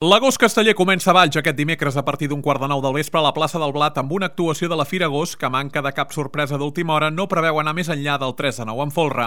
L'agost casteller comença a Valls aquest dimecres a partir d'un 8:45 del vespre a la plaça del Blat amb una actuació de la Fira Agost que, a manca de cap sorpresa d'última hora, no preveu anar més enllà del 3-9 en folre.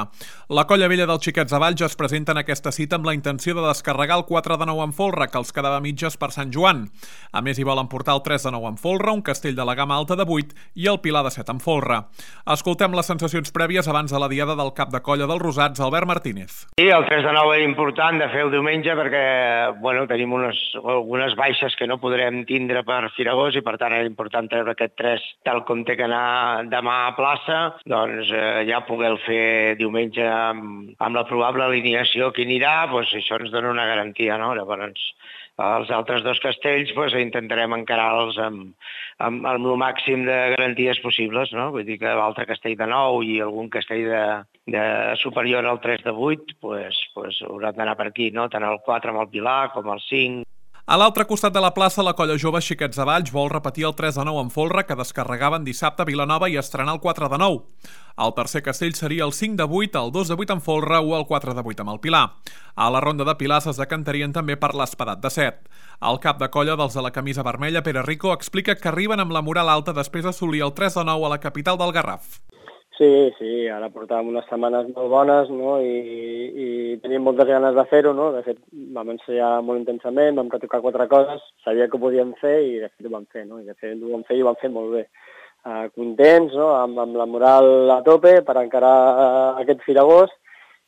La colla vella dels xiquets de Valls es presenta en aquesta cita amb la intenció de descarregar el 4-9 en folre, que els quedava mitges per Sant Joan. A més, hi volen portar el 3-9 en folre, un castell de la gamma alta de 8 i el pilar de 7 en folre. Escoltem les sensacions prèvies abans de la diada del cap de colla dels Rosats, Albert Martínez. Sí, el 3-9 era important de fer el diumenge perquè tenim algunes baixes que no podrem tindre per Fira Agost i per tant era important treure aquest 3 tal com té que anar demà a plaça, doncs ja poder-lo fer diumenge amb la probable alineació que anirà, doncs això ens dona una garantia, no? Llavors els altres dos castells intentarem encarar-los amb el màxim de garanties possibles, no? Vull dir que l'altre castell de 9 i algun castell de superior al 3 de 8 hauran d'anar per aquí, no? Tant el 4 amb el pilar com el 5. A l'altre costat de la plaça, la colla jove Xiquets de Valls vol repetir el 3-9 en folre que descarregaven dissabte a Vilanova i estrenar el 4-9. El tercer castell seria el 5-8, el 2-8 en folre o el 4-8 amb el pilar. A la ronda de pilars es decantarien també per l'espadat de 7. El cap de colla dels de la camisa vermella, Pere Rico, explica que arriben amb la moral alta després d'assolir el 3-9 a la capital del Garraf. Sí, ara portàvem unes setmanes molt bones, no? I teníem moltes ganes de fer-ho, no? De fet, vam ensenyar molt intensament, vam retocar 4 coses, sabia que ho podíem fer i de fet ho vam fer, no? I de fet ho vam fer i ho vam fer molt bé. Contents, no? Amb la moral a tope per encarar aquest Fira Agost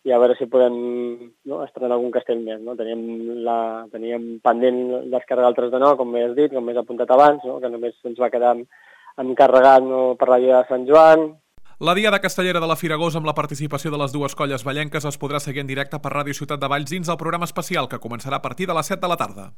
i a veure si podem estrenar algun castell més, no? Teníem pendent descarregar el 3-9, com m'has dit, com m'has apuntat abans, no? Que només ens va quedar encarregat per la Dia de Sant Joan. La diada castellera de la Fira Agost amb la participació de les dues colles vallenques es podrà seguir en directe per Ràdio Ciutat de Valls dins del programa especial que començarà a partir de les 7 de la tarda.